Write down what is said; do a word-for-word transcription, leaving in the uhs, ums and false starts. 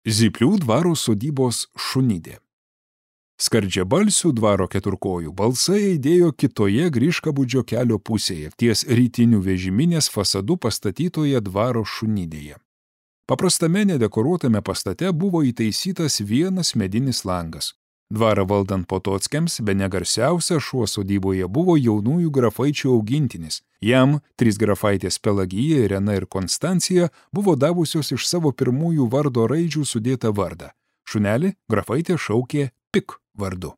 Zyplių dvaro sodybos šunidė. Skardžiabalsių dvaro keturkojų balsai aidėjo kitoje Griškabūdžio kelio pusėje, ties rytinių vežiminės fasadu pastatytoje dvaro šunidėje. Paprastame nedekoruotame pastate buvo įtaisytas vienas medinis langas. Dvarą valdant Potockiams, bene garsiausia šuo sodyboje buvo jaunųjų grafaičių augintinis. Jam trys grafaitės Pelagija, Irena ir Konstancija buvo davusios iš savo pirmųjų vardo raidžių sudėtą vardą. Šunelį grafaitė šaukė Pik vardu.